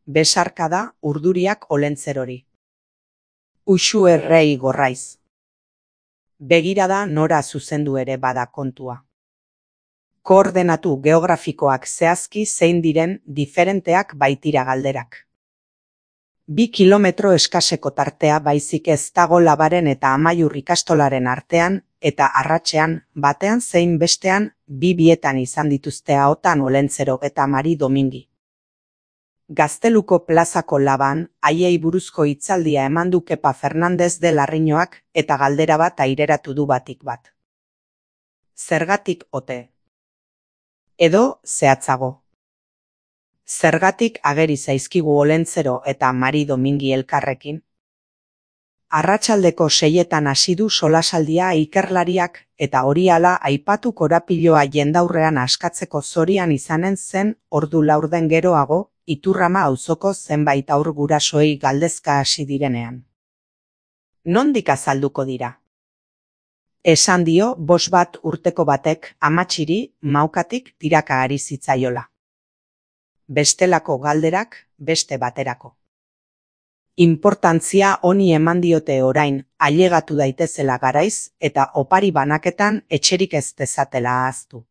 Besarka da urduriak Olentzerori. Uxu errei gorraiz. Begirada nora zuzendu ere bada kontua. Koordenatu geografikoak zehazki zein diren diferenteak baitira galderak. 2 kilometro eskaseko tartea baizik ez dago Labaren eta Amaiur ikastolaren artean eta arratsean batean zein bestean bietan izan dituzte ahotan Olentzero eta Mari Domingi. Gazteluko plazako Laban haiei buruzko hitzaldia eman du Kepa Fernandez de Larriñoak eta galdera bat aireratu du batik bat. Zergatik ote? Edo zehatzago. Zergatik ageri zaizkigu Olentzero eta Mari Domingi elkarrekin? Arratsaldeko 6etan hasi du solasaldia ikerlariak eta hori hala aipatu korapiloa jendaurrean askatzeko zorian izanen zen ordu laurden geroago Iturrama auzoko zenbait haur gurasoei galdezka hasi direnean. Nondik azalduko dira? Esan dio 5 urteko batek amatxiri maukatik tiraka ari zitzaiola. Bestelako galderak beste baterako. Inportantzia honi eman diote orain ailegatu daitezela garaiz eta opari banaketan etxerik ez dezatela ahaztu.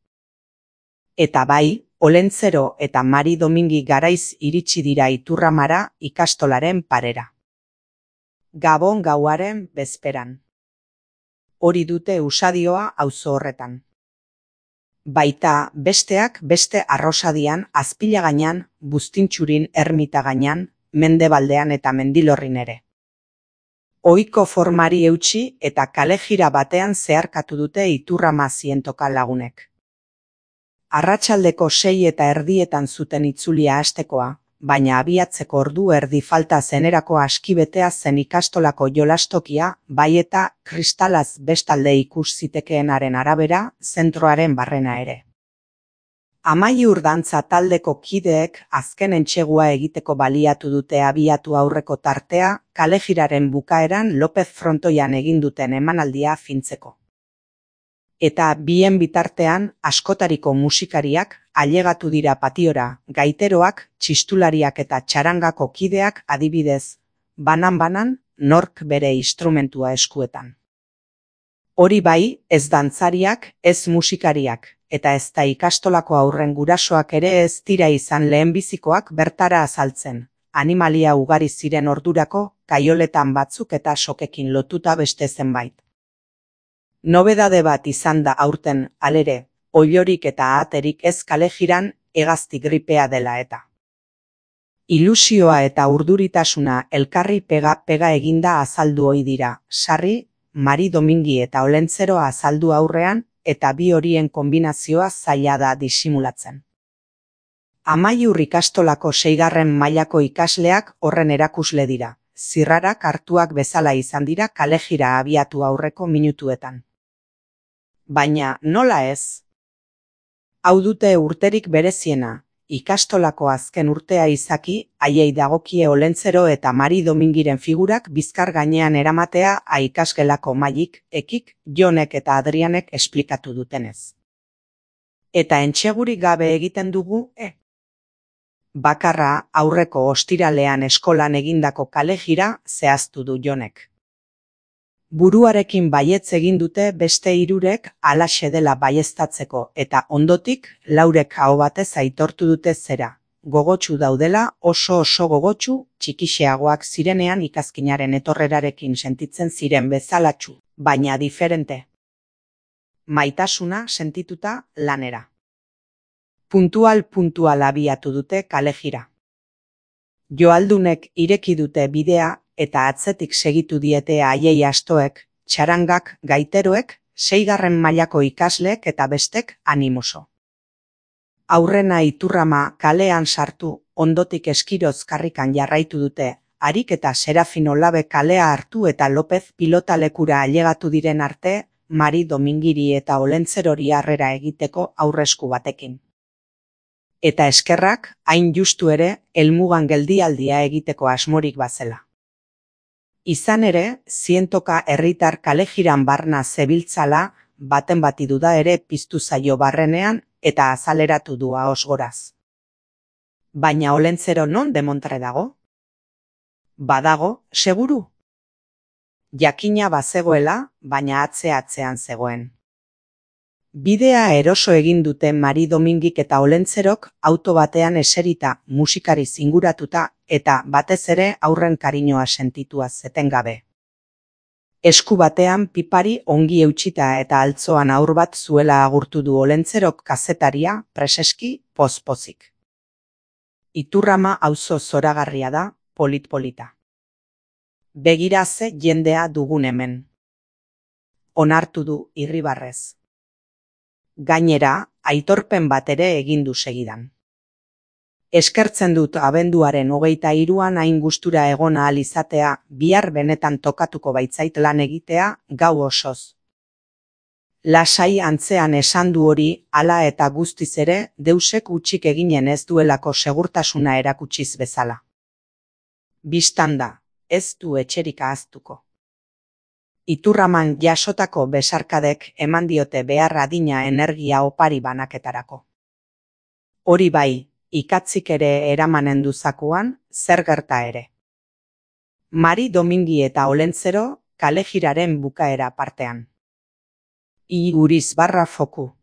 Eta bai, Olentzero eta Mari Domingi garaiz iritsi dira Iturramara ikastolaren parera. Gabon gauaren bezperan. Hori dute usadioa auzo horretan. Baita besteak beste Arrosadian, Azpilagainan, Buztintxurin, Ermitagainan, Mendebaldean eta Mendilorrin ere. Ohiko formari eutsi eta kalejira batean zeharkatu dute Iturrama zientoka lagunek. Arratsaldeko 6:30 zuten itzulia hastekoa, baina abiatzeko ordu erdi falta zenerako askibetea zen ikastolako jolastokia, bai eta kristalaz bestalde ikus zitekeenaren arabera zentroaren barrena ere. Amaiur dantza taldeko kideek azken entsegua egiteko baliatu dute abiatu aurreko tartea kalejiraren bukaeran Lopez frontoian egin duten emanaldia fintzeko. Eta bien bitartean askotariko musikariak ailegatu dira patiora, gaiteroak, txistulariak eta txarangako kideak adibidez, banan-banan nork bere instrumentua eskuetan. Hori bai, ez dantzariak, ez musikariak, eta ez da ikastolako aurren gurasoak ere ez dira izan lehenbizikoak bertara azaltzen, animalia ugari ziren ordurako, kaioletan batzuk eta sokekin lotuta beste zenbait. Nobedade bat izan da aurten, alere, oilorik eta aterik ez kalejiran hegazti gripea dela eta. Ilusioa eta urduritasuna elkarri pega eginda azaldu ohi dira, sarri, Mari Domingi eta Olentzero azaldu aurrean eta bi horien kombinazioa zaila da disimulatzen. Amaiur ikastolako 6. mailako ikasleak horren erakusle dira, zirrarak hartuak bezala izan dira kalejira abiatu aurreko minutuetan. Baina nola ez? Hau dute urterik bereziena, ikastolako azken urtea izaki, haiei dagokie Olentzero eta Mari Domingiren figurak bizkar gainean eramatea ikasgelako Maiik, Ekik, Jonek eta Adrianek esplikatu dutenez. Eta entsegurik gabe egiten dugu, Bakarra aurreko ostiralean eskolan egindako kalejira zehaztu du Jonek. Buruarekin baietz egin dute beste 3 halaxe dela baieztatzeko eta ondotik Laurek aho batez aitortu dute zera. Gogotsu daudela oso gogotsu txikixeagoak zirenean ikazkinaren etorrerarekin sentitzen ziren bezalatsu, baina diferente. Maitasuna sentituta lanera. Puntual abiatu dute kalejira. Joaldunek ireki dute bidea eta atzetik segitu diete haiei astoek, txarangak, gaiteroek, 6. mailako ikasleek eta bestek animoso. Aurrena Iturrama kalean sartu, ondotik eskiroz karrikan jarraitu dute, Harik eta Serafino Labe kalea hartu eta Lopez pilotalekura ailegatu diren arte, Mari Domingiri eta Olentzerori harrera egiteko aurresku batekin. Eta eskerrak, hain justu ere, helmugan geldialdia egiteko asmorik bazela. Izan ere, zientoka herritar kalejiran barna zebiltzala, baten bati duda ere piztu zaio barrenean eta azaleratu du ahos goraz. Baina Olentzero non demontre dago? Badago, seguru? Jakina bazegoela, baina atzean zegoen. Bidea eroso egin dute Mari Domingik eta Olentzerok auto batean eserita, musikari zinguratuta eta batez ere haurren kariñoa sentitua etengabe. Esku batean pipari ongi eutsita eta altzoan haur bat zuela agurtu du Olentzerok kazetaria preseski poz-pozik. Iturrama auzo zoragarria da, polit-polita. Begira ze jendea dugun hemen. Onartu du irribarrez. Gainera, aitorpen bat ere egin du segidan. Eskertzen dut abenduaren 23an hain gustura egon ahal izatea, bihar benetan tokatuko baitzait lan egitea gau osoz. Lasai antzean esan du hori, hala eta guztiz ere, deusek hutsik eginen ez duelako segurtasuna erakutsiz bezala. Bistan da, ez du etxerik ahaztuko. Iturraman jasotako besarkadek eman diote behar adina energia opari banaketarako. Hori bai, ikatzik ere eramanen duzakuan, zer gerta ere. Mari Domingi eta Olentzero kalejiraren bukaera partean. Iguriz /foku